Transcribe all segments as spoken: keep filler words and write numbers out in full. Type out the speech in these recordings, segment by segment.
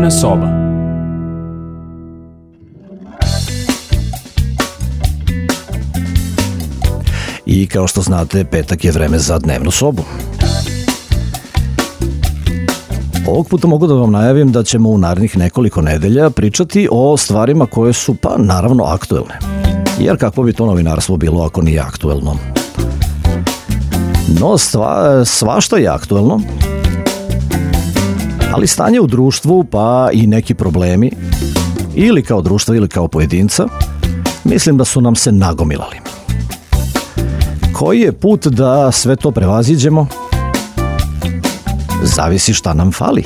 Dnevna soba. I kao što znate, petak je vreme za dnevnu sobu. Ovog puta mogu da vam najavim da ćemo u narednih nekoliko nedelja pričati o stvarima koje su, pa naravno, aktuelne. Jer kako bi to novinarstvo bilo ako nije aktuelno? No, stva, svašta je aktuelno, ali stanje u društvu, pa i neki problemi, ili kao društva ili kao pojedinca, mislim da su nam se nagomilali. Koji je put da sve to prevaziđemo? Zavisi šta nam fali.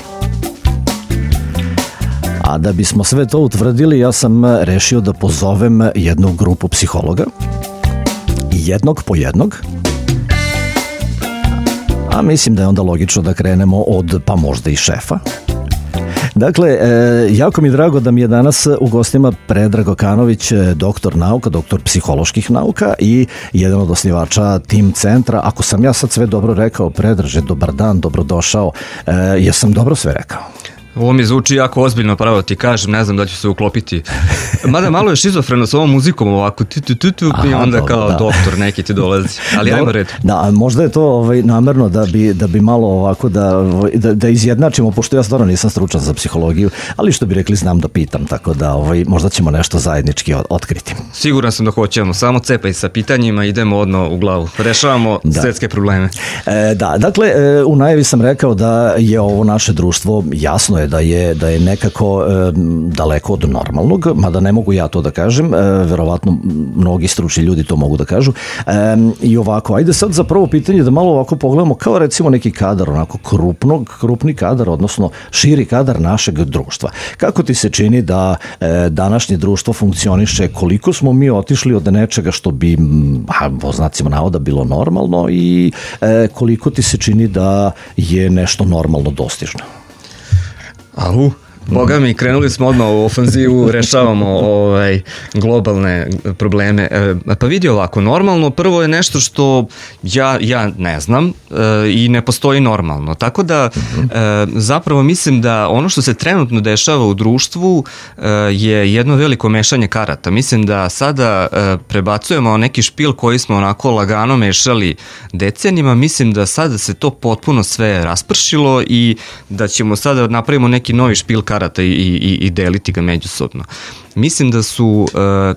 A da bismo sve to utvrdili, ja sam rešio da pozovem jednu grupu psihologa, jednog po jednog, a mislim da je onda logično da krenemo od, pa možda i šefa. Dakle, e, jako mi je drago da mi je danas u gostima Predrag Okanović, doktor nauka, doktor psiholoških nauka i jedan od osnivača Tim centra. Ako sam ja sad sve dobro rekao, Predraže, dobar dan, dobrodošao. E, jesam dobro sve rekao? Ovo mi zvuči jako ozbiljno, pravo ti kažem, ne znam da ću se uklopiti. Mada malo je šizofreno s ovom muzikom ovako, tu, tu, tu, tu, i onda dobro, kao da. Doktor neki ti dolazi, ali ajmo red. Da, možda je to ovaj, namerno da bi, da bi malo ovako da, da, da izjednačimo, pošto ja stvarno nisam stručan za psihologiju, ali što bi rekli, znam da pitam, tako da ovaj, možda ćemo nešto zajednički otkriti. Siguran sam da hoćemo, samo cepaj sa pitanjima, idemo odno u glavu, rešavamo da. svetske probleme. E, da, dakle, e, u najavi sam rekao da je ovo naše društvo, jasno je da je, da je nekako e, daleko od normalnog, mada ne mogu ja to da kažem, e, verovatno mnogi stručni ljudi to mogu da kažu. E, I ovako, ajde sad za prvo pitanje da malo ovako pogledamo kao recimo neki kadar, onako krupnog, krupni kadar, odnosno širi kadar našeg društva. Kako ti se čini da e, današnje društvo funkcioniše, koliko smo mi otišli od nečega što bi, a, po znacima navoda, bilo normalno i e, koliko ti se čini da je nešto normalno dostižno? Au, boga mi, krenuli smo odmah u ofanzivu, rešavamo ovaj, globalne probleme. E, pa vidi ovako, normalno prvo je nešto što ja, ja ne znam e, i ne postoji normalno. Tako da e, zapravo mislim da ono što se trenutno dešava u društvu e, je jedno veliko mešanje karata. Mislim da sada e, prebacujemo neki špil koji smo onako lagano mešali decenijima. Mislim da sada se to potpuno sve raspršilo i da ćemo sada napravimo neki novi špil karata i, i, i deliti ga međusobno. Mislim da su uh,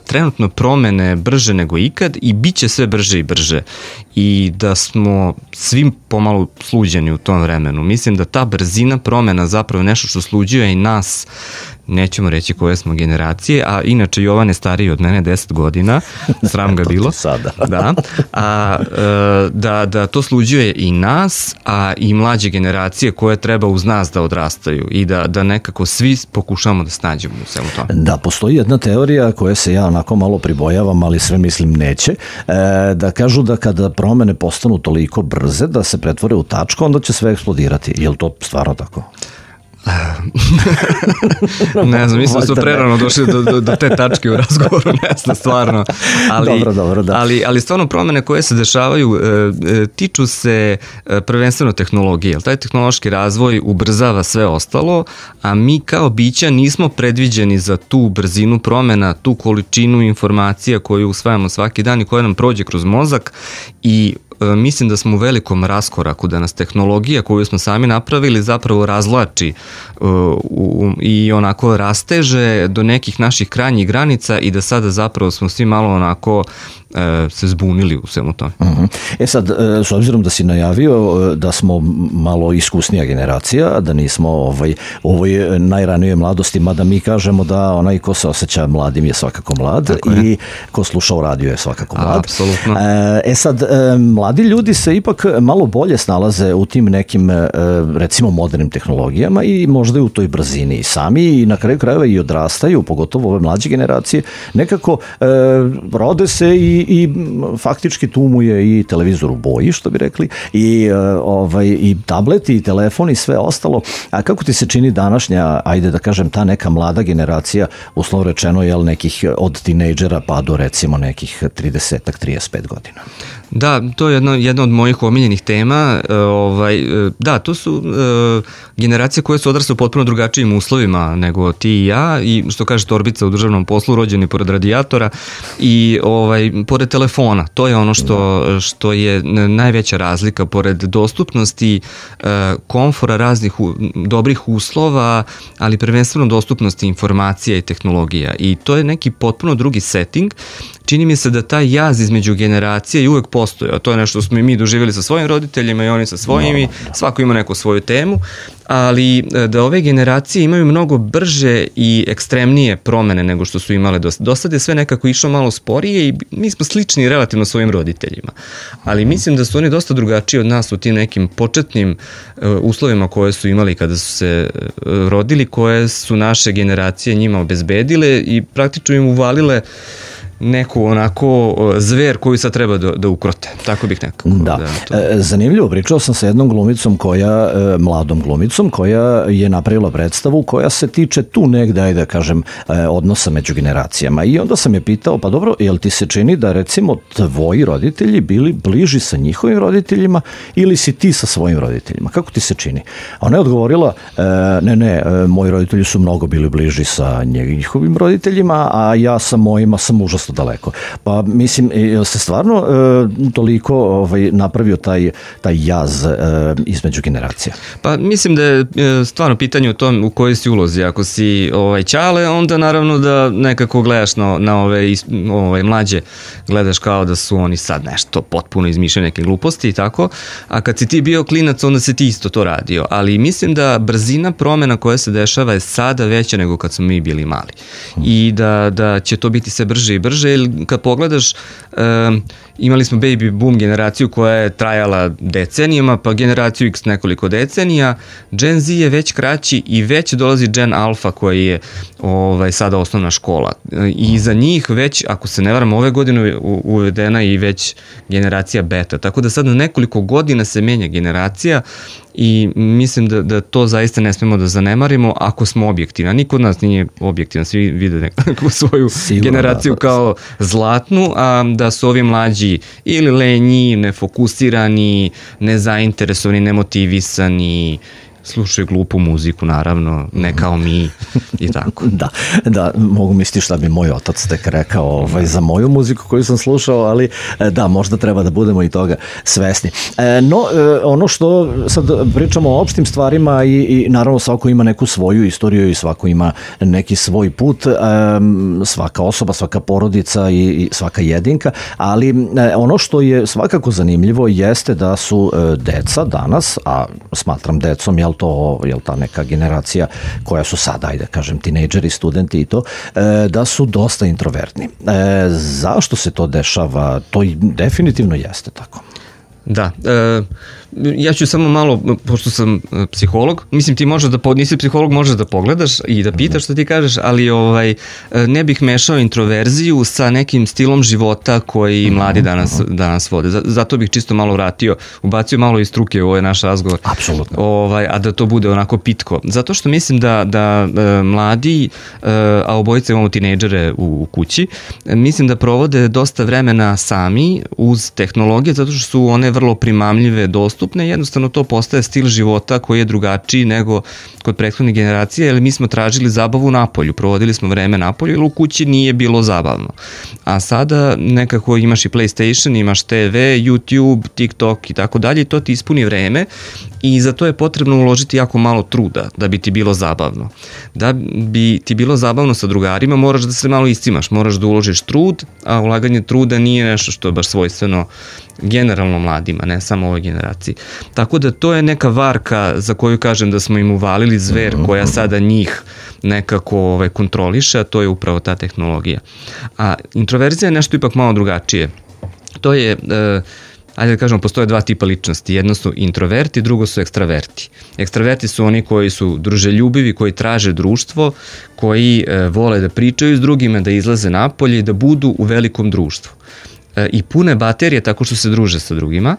trenutno promene brže nego ikad i bit će sve brže i brže i da smo svim pomalo sluđeni u tom vremenu. Mislim da ta brzina promena zapravo nešto što sluđuje i nas, nećemo reći koje smo generacije, a inače Jovan je stariji od mene deset godina, sram ga bilo. Sada. Da, a, da, da to sluđuje i nas, a i mlađe generacije koje treba uz nas da odrastaju i da, da nekako svi pokušamo da snađemo u svemu tome. Da, postoji jedna teorija koja se ja onako malo pribojavam, ali sve mislim neće, e, da kažu da kada promene postanu toliko brze da se pretvore u tačku, onda će sve eksplodirati. Je li to stvarno tako? Ne znam, mislim da smo prerano došli do, do, do te tačke u razgovoru, ne znam, stvarno. Ali, dobro, dobro, da. ali, ali stvarno promene koje se dešavaju e, tiču se e, prvenstveno tehnologije. Taj tehnološki razvoj ubrzava sve ostalo, a mi kao bića nismo predviđeni za tu brzinu promena, tu količinu informacija koju usvajamo svaki dan i koja nam prođe kroz mozak i mislim da smo u velikom raskoraku, da nas tehnologija koju smo sami napravili zapravo razlači uh, u, i onako rasteže do nekih naših krajnjih granica i da sada zapravo smo svi malo onako uh, se zbunili u svemu tome. Uh-huh. E sad, s obzirom da si najavio da smo malo iskusnija generacija, da nismo ovaj, u ovoj najranijoj mladosti, mada mi kažemo da onaj ko se osjeća mladim je svakako mlad i ko sluša u radiju je svakako mlad. Apsolutno. E sad, mladi ljudi se ipak malo bolje snalaze u tim nekim, recimo, modernim tehnologijama i možda i u toj brzini i sami i na kraju krajeva i odrastaju, pogotovo ove mlađe generacije, nekako e, rode se i i, i faktički tu mu je i televizor u boji, što bi rekli, i, ovaj, i tablet i telefon i sve ostalo. A kako ti se čini današnja, ajde da kažem, ta neka mlada generacija, uslovno rečeno, jel, nekih od tinejdžera pa do recimo nekih trideset trideset pet godina? Da, to je jedno, jedna od mojih omiljenih tema. E, ovaj, da, to su e, generacije koje su odrasle u potpuno drugačijim uslovima nego ti i ja, i što kaže Torbica u državnom poslu, rođeni pored radijatora i ovaj, pored telefona. To je ono što, što je najveća razlika, pored dostupnosti, e, komfora, raznih u, dobrih uslova, ali prvenstveno dostupnosti informacija i tehnologija. I to je neki potpuno drugi setting. Čini mi se da taj jaz između generacije i uvek postoji, a to je nešto što smo i mi doživjeli sa svojim roditeljima i oni sa svojimi, svako ima neku svoju temu, ali da ove generacije imaju mnogo brže i ekstremnije promene nego što su imale do, do sad je sve nekako išlo malo sporije i mi smo slični relativno svojim roditeljima, ali mislim da su oni dosta drugačiji od nas u tim nekim početnim uh, uslovima koje su imali kada su se uh, rodili, koje su naše generacije njima obezbedile i praktično im uvalile neku onako zver koju sad treba da, da ukrote, tako bih nekako. Da, da to... zanimljivo, pričao sam sa jednom glumicom koja, mladom glumicom, koja je napravila predstavu koja se tiče tu negde, ajde da kažem, odnosa među generacijama i onda sam je pitao, pa dobro, jel ti se čini da recimo tvoji roditelji bili bliži sa njihovim roditeljima ili si ti sa svojim roditeljima, kako ti se čini? Ona je odgovorila, ne, ne, moji roditelji su mnogo bili bliži sa njihovim roditeljima, a ja sa mojima sam užasno daleko. Pa mislim, jel se stvarno e, toliko ovaj, napravio taj, taj jaz e, između generacija? Pa mislim da je e, stvarno pitanje u tom u kojoj si ulozi. Ako si ovaj, ćale, onda naravno da nekako gledaš na, na ove ovaj, mlađe, gledaš kao da su oni sad nešto potpuno izmišljaju neke gluposti i tako, a kad si ti bio klinac, onda si ti isto to radio. Ali mislim da brzina promena koja se dešava je sada veća nego kad smo mi bili mali. I da, da će to biti sve brže i brže. Kad pogledaš, um, imali smo baby boom generaciju koja je trajala decenijama, pa generaciju X nekoliko decenija, Gen Z je već kraći i već dolazi Gen Alpha koji je ovaj, sada osnovna škola. I za njih već, ako se ne varam, ove godine uvedena i već generacija beta. Tako da sad na nekoliko godina se menja generacija i mislim da, da to zaista ne smemo da zanemarimo ako smo objektivni. Niko od nas nije objektivan, svi vide nekakvu svoju Sigurno, generaciju da, kao zlatnu, a da su ovi mlađi ili lenji, nefokusirani, nezainteresovani, nemotivisani, slušaju glupu muziku, naravno, ne kao mi i tako. Da, da, mogu misliti šta bi moj otac tek rekao ovaj, za moju muziku koju sam slušao, ali da, možda treba da budemo i toga svesni. E, no, ono što sad pričamo o opštim stvarima i, i naravno svako ima neku svoju istoriju i svako ima neki svoj put, e, svaka osoba, svaka porodica i, i svaka jedinka, ali e, ono što je svakako zanimljivo jeste da su e, deca danas, a smatram decom, jel to, jel ta neka generacija koja su sada, ajde kažem, tinejdžeri, studenti i to, da su dosta introvertni. Zašto se to dešava? To i definitivno jeste tako. Da, e, ja ću samo malo, pošto sam psiholog, mislim ti možeš da, nisi psiholog, možeš da pogledaš i da pitaš što ti kažeš, ali ovaj, ne bih mešao introverziju sa nekim stilom života koji mladi danas, danas vode. Zato bih čisto malo vratio, ubacio malo iz struke u ovaj naš razgovor. Apsolutno. Ovaj, a da to bude onako pitko. Zato što mislim da, da, da mladi, a obojice imamo tinejdžere u, u kući, mislim da provode dosta vremena sami uz tehnologije, zato što su one vrlo primamljive, dostupne, jednostavno to postaje stil života koji je drugačiji nego kod prethodne generacije, jer mi smo tražili zabavu napolju, provodili smo vreme napolju, jer u kući nije bilo zabavno. A sada nekako imaš i PlayStation, imaš te ve, YouTube, TikTok i tako dalje, i to ti ispuni vreme i za to je potrebno uložiti jako malo truda da bi ti bilo zabavno. Da bi ti bilo zabavno sa drugarima, moraš da se malo iscimaš, moraš da uložiš trud, a ulaganje truda nije nešto što je baš svojstveno generalno mladima, ne samo ovoj generaciji. Tako da to je neka varka za koju kažem da smo im uvalili zver koja sada njih nekako ovaj, kontroliše, a to je upravo ta tehnologija. A introverzija je nešto ipak malo drugačije. To je, e, ajde da kažemo, postoje dva tipa ličnosti. Jedno su introverti, drugo su ekstraverti. Ekstraverti su oni koji su druželjubivi, koji traže društvo, koji e, vole da pričaju s drugima, da izlaze napolje i da budu u velikom društvu. e, i pune baterije tako što se druže sa drugima,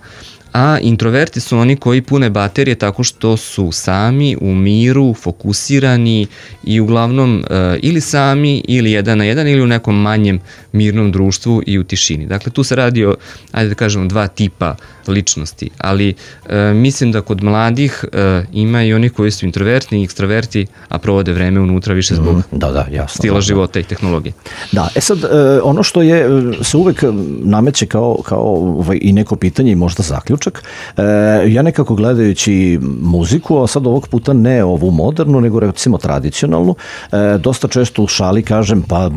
a introverti su oni koji pune baterije tako što su sami, u miru, fokusirani i uglavnom e, ili sami ili jedan na jedan ili u nekom manjem mirnom društvu i u tišini. Dakle, tu se radi o, ajde da kažemo, dva tipa ličnosti, ali e, mislim da kod mladih e, ima i oni koji su introvertni i ekstraverti, a provode vreme unutra više zbog mm, da, da, jasno, stila da, života i tehnologije. Da, e sad, e, ono što je se uvek nameće kao, kao ovaj, i neko pitanje i možda zaključak, e, ja nekako gledajući muziku, a sad ovog puta ne ovu modernu, nego recimo tradicionalnu, e, dosta često u šali kažem, pa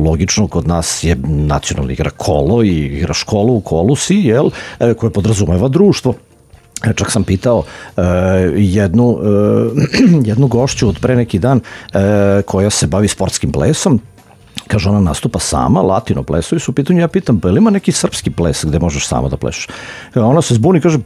logično kod nas je nacionalna igra kolo i igra školu u kolu si, jel, e, koje podrazumeva društvo. Čak sam pitao uh, jednu, uh, jednu gošću od pre neki dan uh, koja se bavi sportskim plesom. Kaže, ona nastupa sama, latino plesovi su u pitanju, ja pitam, pa ili ima neki srpski ples gde možeš sama da plešeš? Ona se zbuni i kaže,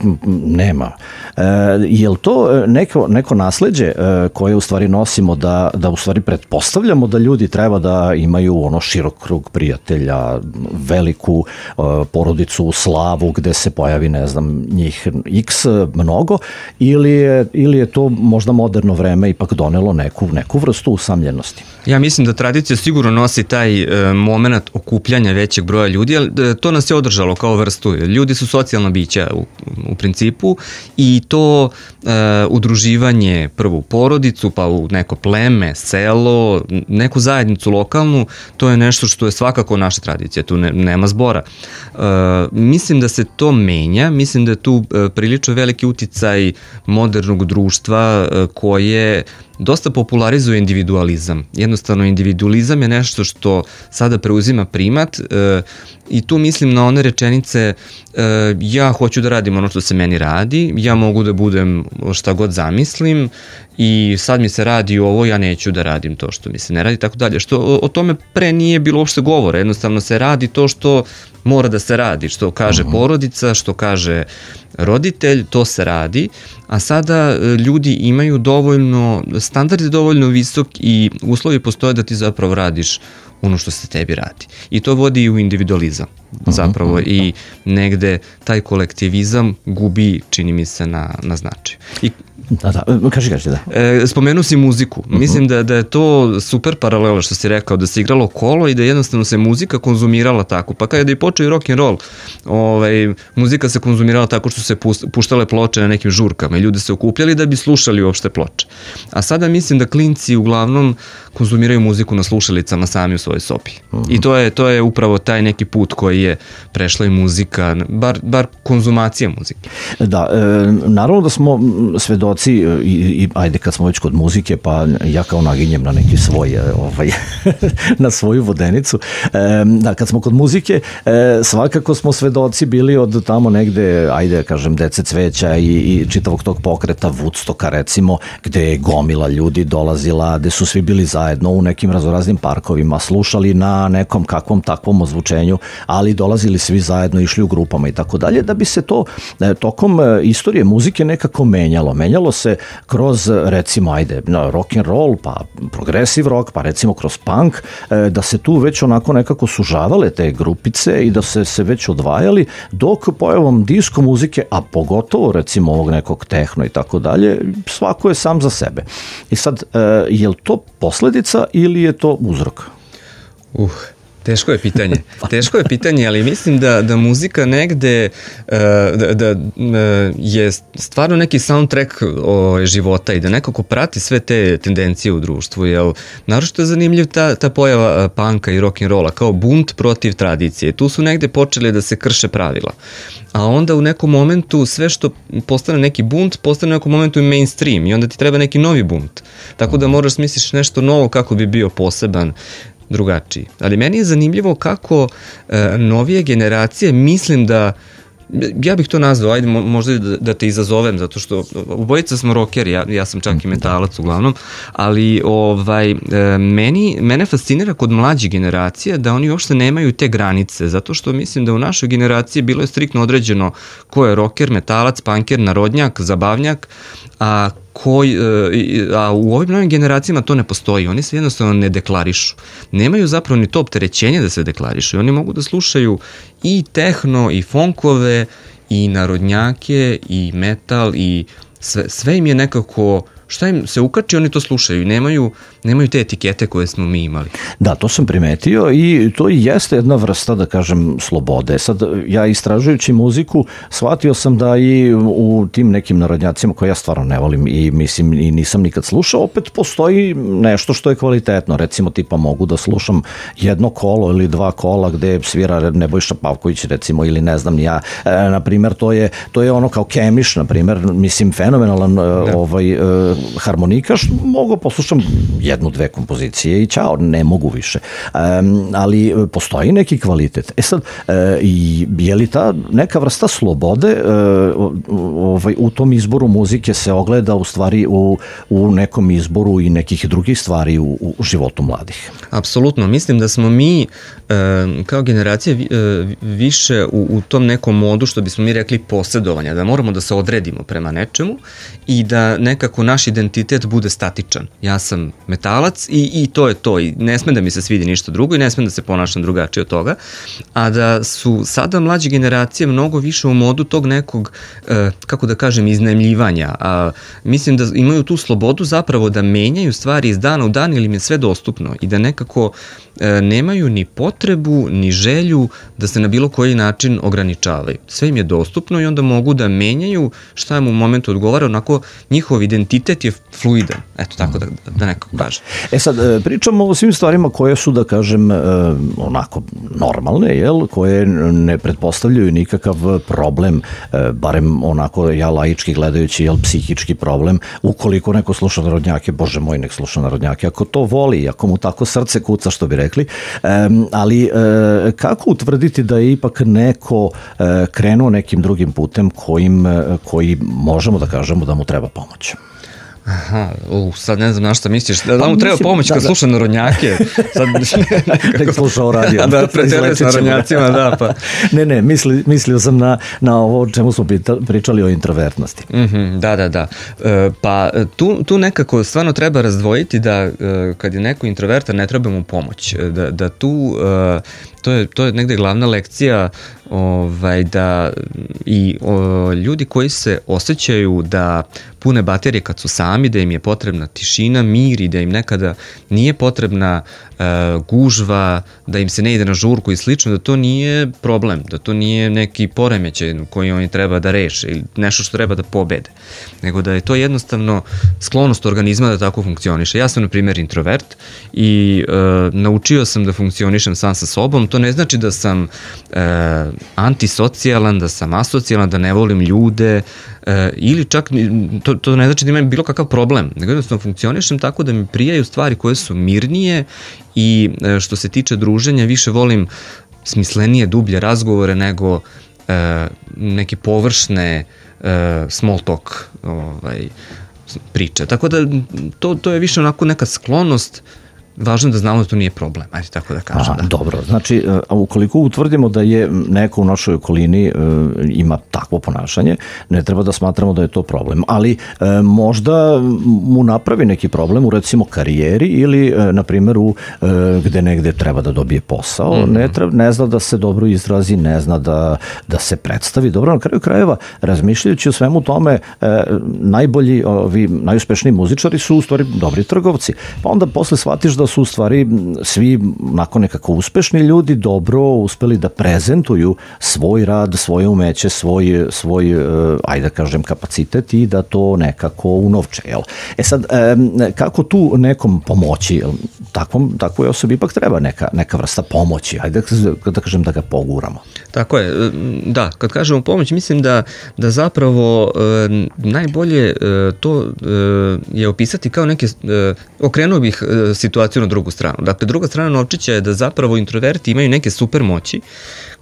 nema. E, je li to neko, neko nasleđe e, koje u stvari nosimo da, da u stvari pretpostavljamo da ljudi treba da imaju ono širok krug prijatelja, veliku e, porodicu, slavu gde se pojavi, ne znam, njih x mnogo, ili je, ili je to možda moderno vreme ipak donelo neku, neku vrstu usamljenosti? Ja mislim da tradicija sigurno nosi taj e, moment okupljanja većeg broja ljudi, ali e, to nas je održalo kao vrstu. Ljudi su socijalna bića u, u principu i to e, udruživanje prvo u porodicu, pa u neko pleme, selo, neku zajednicu lokalnu, to je nešto što je svakako naša tradicija, tu ne, nema zbora. E, mislim da se to menja, mislim da je tu e, prilično veliki uticaj modernog društva e, koje dosta popularizuje individualizam. Jednostavno, individualizam je nešto što sada preuzima primat e, i tu mislim na one rečenice e, ja hoću da radim ono što se meni radi, ja mogu da budem šta god zamislim i sad mi se radi ovo, ja neću da radim to što mi se ne radi, tako dalje. Što o, o tome pre nije bilo uopšte govora, jednostavno se radi to što mora da se radi, što kaže uh-huh. porodica, što kaže roditelj, to se radi, a sada ljudi imaju dovoljno, standard je dovoljno visok i uslovi postoje da ti zapravo radiš ono što se tebi radi. I to vodi u individualizam zapravo uh-huh. i negde taj kolektivizam gubi, čini mi se, na, na značaju. I Da, da, kaži, kaži, da. E, spomenu si muziku. Uh-huh. Mislim da, da je to super paralela što si rekao, da se igralo kolo i da jednostavno se muzika konzumirala tako. Pa kada je počeo i rock and roll, ovaj, muzika se konzumirala tako što se puštale ploče na nekim žurkama i ljudi se okupljali da bi slušali uopšte ploče. A sada mislim da klinci uglavnom konzumiraju muziku na slušalicama sami u svojoj sobi. Uh-huh. I to je, to je upravo taj neki put koji je prešla i muzika, bar, bar konzumacija muzike. Da, e, naravno da smo svedoci i, i ajde kad smo već kod muzike, pa ja kao naginjem na neki svoj ovaj, na svoju vodenicu. E, da, kad smo kod muzike, e, svakako smo svedoci bili od tamo negde, ajde kažem, Dece cveća i, i čitavog tog pokreta Woodstocka recimo, gde je gomila ljudi dolazila, gde su svi bili zajedno u nekim razoraznim parkovima, slušali na nekom kakvom takvom ozvučenju, ali dolazili svi zajedno, išli u grupama i tako dalje, da bi se to e, tokom istorije muzike nekako menjalo. Menjalo se kroz, recimo, ajde, rock and roll, pa progressive rock, pa recimo kroz punk, da se tu već onako nekako sužavale te grupice i da se, se već odvajali, dok pojavom disko muzike, a pogotovo recimo ovog nekog tehno i tako dalje, svako je sam za sebe. I sad, je li to posledica ili je to uzrok? Uh... Teško je pitanje. Teško je pitanje, ali mislim da, da muzika negde uh, da, da uh, je stvarno neki soundtrack o, života i da nekako prati sve te tendencije u društvu. Jel, naročito je zanimljiv ta, ta pojava uh, punka i rock'n'rolla kao bunt protiv tradicije. Tu su negde počeli da se krše pravila. A onda u nekom momentu sve što postane neki bunt, postane u nekom momentu i mainstream i onda ti treba neki novi bunt. Tako da moraš smisliš nešto novo kako bi bio poseban, drugačiji. Ali meni je zanimljivo kako e, novije generacije, mislim da, ja bih to nazvao, ajde možda da, da te izazovem, zato što obojica smo rockeri, ja, ja sam čak i metalac uglavnom, ali ovaj, e, meni, mene fascinira kod mlađih generacija da oni uopšte nemaju te granice, zato što mislim da u našoj generaciji bilo je striktno određeno ko je rocker, metalac, punker, narodnjak, zabavnjak, a koji, a u ovim novim generacijama to ne postoji, oni se jednostavno ne deklarišu. Nemaju zapravo ni to opterećenje da se deklarišu. Oni mogu da slušaju i tehno, i funkove, i narodnjake, i metal, i sve, sve im je nekako, šta im se ukači, oni to slušaju i nemaju, nemaju te etikete koje smo mi imali. Da, to sam primetio i to i jeste jedna vrsta, da kažem, slobode. Sad, ja istražujući muziku, shvatio sam da i u tim nekim narodnjacima koje ja stvarno ne volim i mislim i nisam nikad slušao, opet postoji nešto što je kvalitetno. Recimo, tipa mogu da slušam jedno kolo ili dva kola gde svira Nebojša Pavković, recimo, ili ne znam ja. E, na primer, to je, to je ono kao Kemiš, na primer, mislim, fenomenalan da. ovaj, harmonikaš, mogu poslušam jednu, dve kompozicije i ćao, ne mogu više. Um, ali postoji neki kvalitet. E sad, uh, je li ta neka vrsta slobode uh, ovaj, u tom izboru muzike se ogleda u stvari u, u nekom izboru i nekih drugih stvari u, u životu mladih? Apsolutno. Mislim da smo mi uh, kao generacija uh, više u, u tom nekom modu, što bismo mi rekli, posjedovanja, da moramo da se odredimo prema nečemu i da nekako naš identitet bude statičan. Ja sam metalac i, i to je to. I ne sme da mi se svidi ništa drugo i ne sme da se ponašam drugačije od toga. A da su sada mlađe generacije mnogo više u modu tog nekog, e, kako da kažem, iznajmljivanja. A, mislim da imaju tu slobodu zapravo da menjaju stvari iz dana u dan ili im je sve dostupno i da nekako e, nemaju ni potrebu, ni želju da se na bilo koji način ograničavaju. Sve im je dostupno i onda mogu da menjaju šta im u momentu odgovara, onako njihov identitet je fluidan, eto tako da, da nekako kažem. E sad, pričamo o svim stvarima koje su, da kažem, onako normalne, jel, koje ne pretpostavljaju nikakav problem, barem onako ja laički gledajući, jel, psihički problem, ukoliko neko sluša narodnjake, bože moj, nek sluša narodnjake, ako to voli, ako mu tako srce kuca, što bi rekli, ali kako utvrditi da je ipak neko krenuo nekim drugim putem kojim, koji možemo da kažemo da mu treba pomoć? Aha, uh, sad ne znam na šta misliš, da, da mu treba pomoć kad da, sluša narodnjake. Sad, tek slušao radio. Da, preterali s narodnjacima, da, pa. Ne, ne, misli, mislio sam na, na ovo o čemu smo pričali o introvertnosti. Mm-hmm, da, da, da. E, pa tu, tu nekako stvarno treba razdvojiti da e, kad je neko introvertan ne treba mu pomoć. Da, da tu, e, to, je, to je negde glavna lekcija ovaj, da i o, ljudi koji se osjećaju da pune baterije kad su sami, da im je potrebna tišina, mir i da im nekada nije potrebna e, gužva, da im se ne ide na žurku i slično, da to nije problem, da to nije neki poremećaj koji oni treba da reše ili nešto što treba da pobede, nego da je to jednostavno sklonost organizma da tako funkcioniše. Ja sam, na primjer, introvert i e, naučio sam da funkcionišem sam sa sobom. To ne znači da sam e, antisocijalan, da sam asocijalan, da ne volim ljude, e, ili čak to, to ne znači da imam bilo kakav problem, nego jednostavno funkcionišem tako da mi prijaju stvari koje su mirnije i e, što se tiče druženja više volim smislenije, dublje razgovore nego e, neke površne e, small talk ovaj, priče. Tako da to, to je više onako neka sklonost. Važno je da znamo da to nije problem, ajde tako da kažem. Aha, da. Dobro, znači, ukoliko utvrdimo da je neko u našoj okolini e, ima takvo ponašanje, ne treba da smatramo da je to problem, ali e, možda mu napravi neki problem u, recimo, karijeri ili, e, na primjer, u, e, gde negde treba da dobije posao, mm-hmm. ne, treba, ne zna da se dobro izrazi, ne zna da, da se predstavi. Dobro, na kraju krajeva, razmišljajući o svemu tome, e, najbolji, ovi, najuspešniji muzičari su u stvari dobri trgovci, pa onda posle shvatiš da su u stvari svi nakon nekako uspešni ljudi dobro uspeli da prezentuju svoj rad, svoje umeće, svoj, svoj ajde da kažem, kapacitet i da to nekako unovče. Jel? E sad, kako tu nekom pomoći? Takvom, takvoj osobi ipak treba neka, neka vrsta pomoći. Ajde da kažem da ga poguramo. Tako je. Da, kad kažemo pomoć, mislim da, da zapravo e, najbolje e, to e, je opisati kao neke, e, okrenuo bih e, situaciju na drugu stranu. Dakle, druga strana novčića je da zapravo introverti imaju neke super moći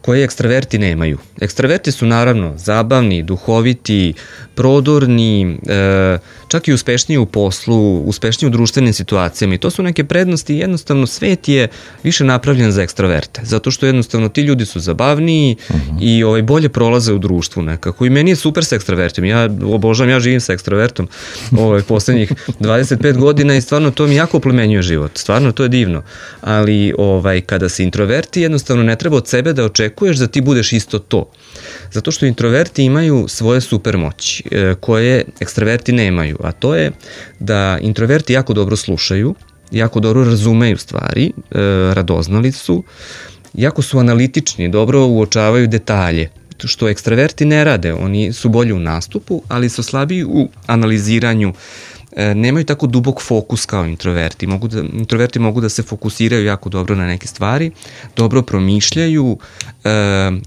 koje ekstraverti nemaju. Ekstraverti su naravno zabavni, duhoviti, prodorni, e, čak i uspešniji u poslu, uspešniji u društvenim situacijama i to su neke prednosti. Jednostavno svet je više napravljen za ekstraverte, zato što jednostavno ti ljudi su zabavniji uh-huh. i ovaj, bolje prolaze u društvu nekako i meni je super sa ekstravertom, ja obožavam, ja živim sa ekstravertom ovaj, poslednjih dvadeset pet godina i stvarno to mi jako oplemenjuje život, stvarno to je divno, ali ovaj, kada si introverti jednostavno ne treba od sebe da očekuješ da ti budeš isto to, zato što introverti imaju svoje supermoći e, koje ekstraverti nemaju, a to je da introverti jako dobro slušaju, jako dobro razumeju stvari, e, radoznali su, jako su analitični, dobro uočavaju detalje, što ekstraverti ne rade, oni su bolji u nastupu, ali su slabiji u analiziranju, e, nemaju tako dubok fokus kao introverti. Mogu da, introverti mogu da se fokusiraju jako dobro na neke stvari, dobro promišljaju, e,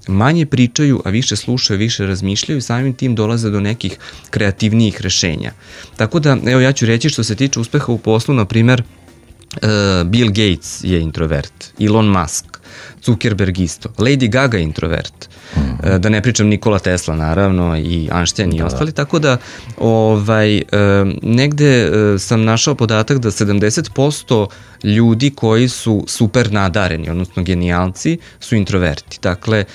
manje pričaju, a više slušaju, više razmišljaju i samim tim dolaze do nekih kreativnijih rešenja. Tako da, evo ja ću reći što se tiče uspeha u poslu, na primer, e, Bill Gates je introvert, Elon Musk, Zuckerberg isto, Lady Gaga je introvert, mm-hmm. da ne pričam Nikola Tesla naravno i Einstein i da, ostali, da. Tako da ovaj, negde sam našao podatak da sedamdeset posto ljudi koji su super nadareni, odnosno genijalci, su introverti. Dakle,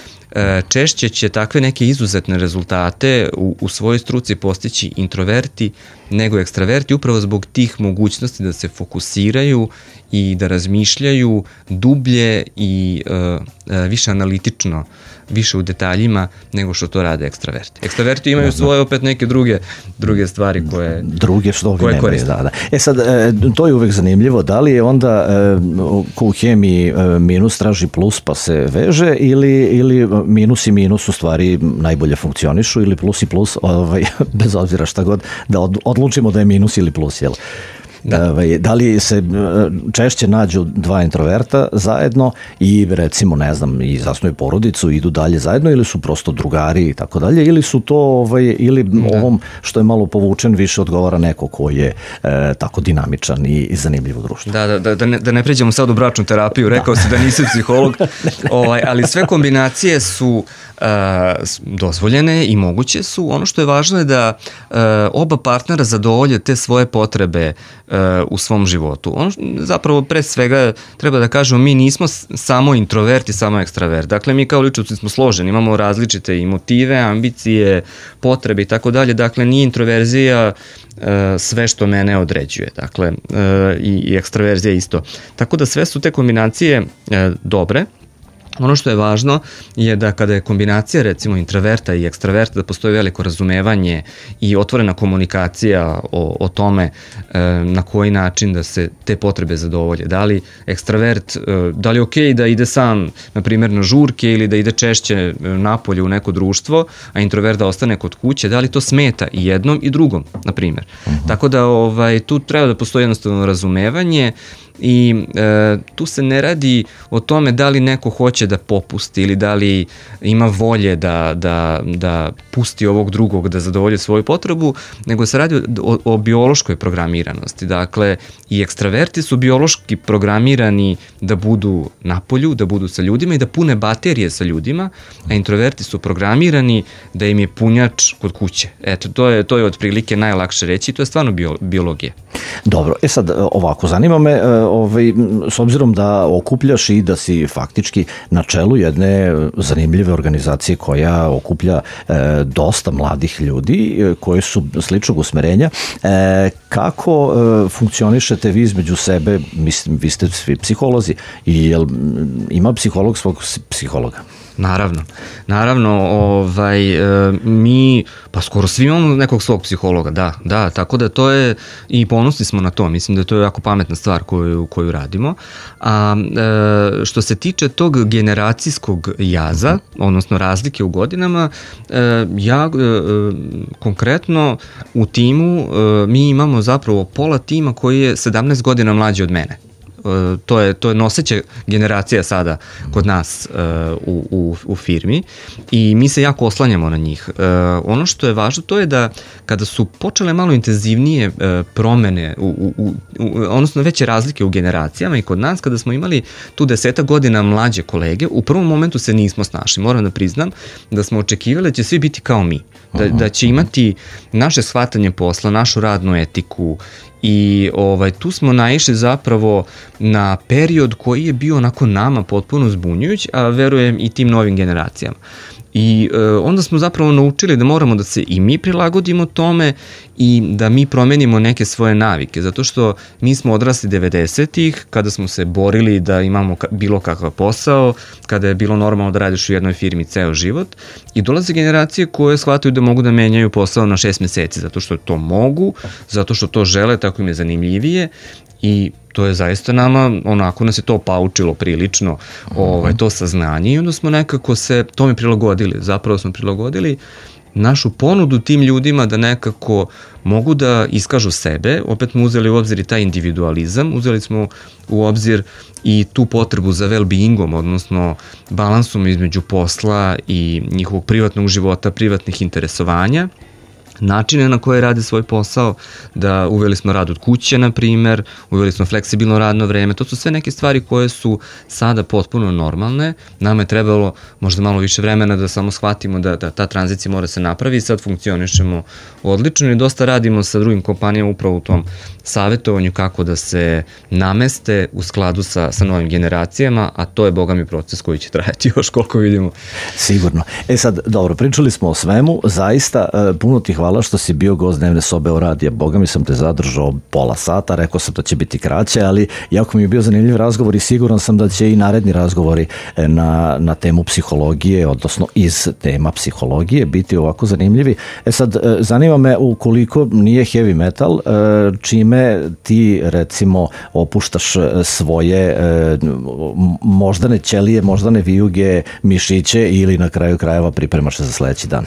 češće će takve neke izuzetne rezultate u, u svojoj struci postići introverti nego ekstraverti, upravo zbog tih mogućnosti da se fokusiraju i da razmišljaju dublje i uh, uh, više analitično, više u detaljima nego što to rade ekstraverti. Ekstraverti imaju svoje opet neke druge druge stvari koje druge što ovi nemaju, da, da. E sad, to je uvek zanimljivo, da li je onda ko u hemiji minus traži plus pa se veže ili, ili minus i minus u stvari najbolje funkcionišu ili plus i plus, ovaj, bez obzira šta god, da odlučimo da je minus ili plus, jel? Da. Da li se češće nađu dva introverta zajedno i recimo ne znam i zasnuju porodicu, idu dalje zajedno ili su prosto drugari i tako dalje ili su to ovaj, ili da. Ovom što je malo povučen više odgovara neko ko je e, tako dinamičan i, i zanimljiv u društvu. Da, da, da, da, ne, da ne pređemo sad u bračnu terapiju, rekao da. si da nisi psiholog, ovaj, ali sve kombinacije su uh, dozvoljene i moguće su. Ono što je važno je da uh, oba partnera zadovolje te svoje potrebe u svom životu. Ono zapravo pre svega treba da kažemo mi nismo samo introvert i samo ekstravert. Dakle mi kao ličnosti smo složeni, imamo različite i motive, ambicije, potrebe i tako dalje. Dakle nije introverzija sve što mene određuje. Dakle i, i ekstraverzija isto. Tako da sve su te kombinacije dobre. Ono što je važno je da kada je kombinacija recimo introverta i ekstraverta da postoji veliko razumevanje i otvorena komunikacija o, o tome e, na koji način da se te potrebe zadovolje. Da li ekstravert, e, da li je okej da ide sam na primjer na žurke ili da ide češće napolje u neko društvo, a introvert da ostane kod kuće, da li to smeta i jednom i drugom, na primjer. Uh-huh. Tako da ovaj, tu treba da postoji jednostavno razumevanje i e, tu se ne radi o tome da li neko hoće da popusti ili da li ima volje da, da, da pusti ovog drugog da zadovolji svoju potrebu, nego se radi o, o biološkoj programiranosti. Dakle, i ekstraverti su biološki programirani da budu napolju, da budu sa ljudima i da pune baterije sa ljudima, a introverti su programirani da im je punjač kod kuće. Eto, to je, to je otprilike najlakše reći, to je stvarno bio, biologija. Dobro, e sad ovako, zanima me, ovaj, s obzirom da okupljaš i da si faktički na čelu jedne zanimljive organizacije koja okuplja e, dosta mladih ljudi e, koji su sličnog usmerenja, e, kako e, funkcionišete vi između sebe, mislim, vi ste svi psiholozi i jel ima psiholog svog psihologa? Naravno, naravno, ovaj, e, mi, pa skoro svi imamo nekog svog psihologa, da, da, tako da to je, i ponosni smo na to, mislim da to je jako pametna stvar koju, koju radimo, a e, što se tiče tog generacijskog jaza, odnosno razlike u godinama, e, ja e, konkretno u timu, e, mi imamo zapravo pola tima koji je sedamnaest godina mlađi od mene. to je, to je noseća generacija sada kod nas u, u, u firmi i mi se jako oslanjamo na njih. Ono što je važno to je da kada su počele malo intenzivnije promene, u, u, u, odnosno veće razlike u generacijama i kod nas, kada smo imali tu deseta godina mlađe kolege, u prvom momentu se nismo snašli. Moram da priznam da smo očekivali da će svi biti kao mi, da, da će imati naše shvatanje posla, našu radnu etiku i ovaj, tu smo naišli zapravo na period koji je bio onako nama potpuno zbunjujuć, a verujem i tim novim generacijama. I e, onda smo zapravo naučili da moramo da se i mi prilagodimo tome i da mi promenimo neke svoje navike, zato što mi smo odrasli devedesetih kada smo se borili da imamo bilo kakav posao, kada je bilo normalno da radiš u jednoj firmi ceo život i dolaze generacije koje shvataju da mogu da menjaju posao na šest meseci, zato što to mogu, zato što to žele, tako im je zanimljivije i to je zaista nama, onako nas je to paučilo prilično, ovaj, to saznanje i onda smo nekako se tome prilagodili, zapravo smo prilagodili našu ponudu tim ljudima da nekako mogu da iskažu sebe, opet smo uzeli u obzir i taj individualizam, uzeli smo u obzir i tu potrebu za well-beingom, odnosno balansom između posla i njihovog privatnog života, privatnih interesovanja, načine na koje rade svoj posao, da uveli smo rad od kuće, na primer, uveli smo fleksibilno radno vreme, to su sve neke stvari koje su sada potpuno normalne, nama je trebalo možda malo više vremena da samo shvatimo da, da ta tranzicija mora se napravi i sad funkcionišemo odlično i dosta radimo sa drugim kompanijama upravo u tom savjetovanju kako da se nameste u skladu sa, sa novim generacijama, a to je, boga mi, proces koji će trajati još koliko vidimo. Sigurno. E sad, dobro, pričali smo o svemu, zaista puno ti hvala što si bio gost dnevne sobe o radija. Boga mi sam te zadržao pola sata, rekao sam da će biti kraće, ali jako mi je bio zanimljiv razgovor i siguran sam da će i naredni razgovori na, na temu psihologije, odnosno iz tema psihologije biti ovako zanimljivi. E sad, zanima me ukoliko nije heavy metal, čime ti recimo opuštaš svoje moždane ćelije, moždane vijuge, mišiće ili na kraju krajeva pripremaš se za sledeći dan?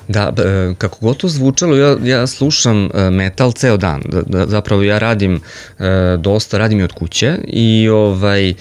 Da, kako god to zvučalo, ja, ja slušam metal ceo dan, da, zapravo ja radim dosta, radim i od kuće i ovaj,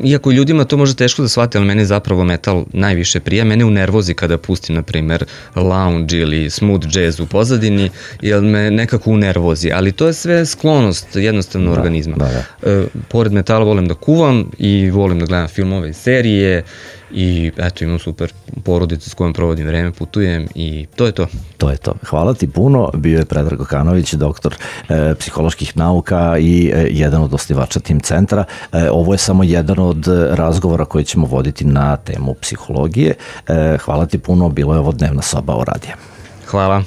iako ljudima to može teško da shvati, ali meni zapravo metal najviše prija, mene unervozi kada pustim, na primer, lounge ili smooth jazz u pozadini, jer me nekako unervozi, ali to je sve sklonost jednostavno da, organizma. Da, da. Pored metala volim da kuvam i volim da gledam filmove i serije, i eto, imam super porodicu s kojom provodim vreme, putujem i to je to. To je to. Hvala ti puno. Bio je Predrag Kokanović, doktor e, psiholoških nauka i e, jedan od osnivača Tim centra. E, ovo je samo jedan od razgovora koji ćemo voditi na temu psihologije. E, hvala ti puno. Bilo je ovo dnevna soba o radiju. Hvala.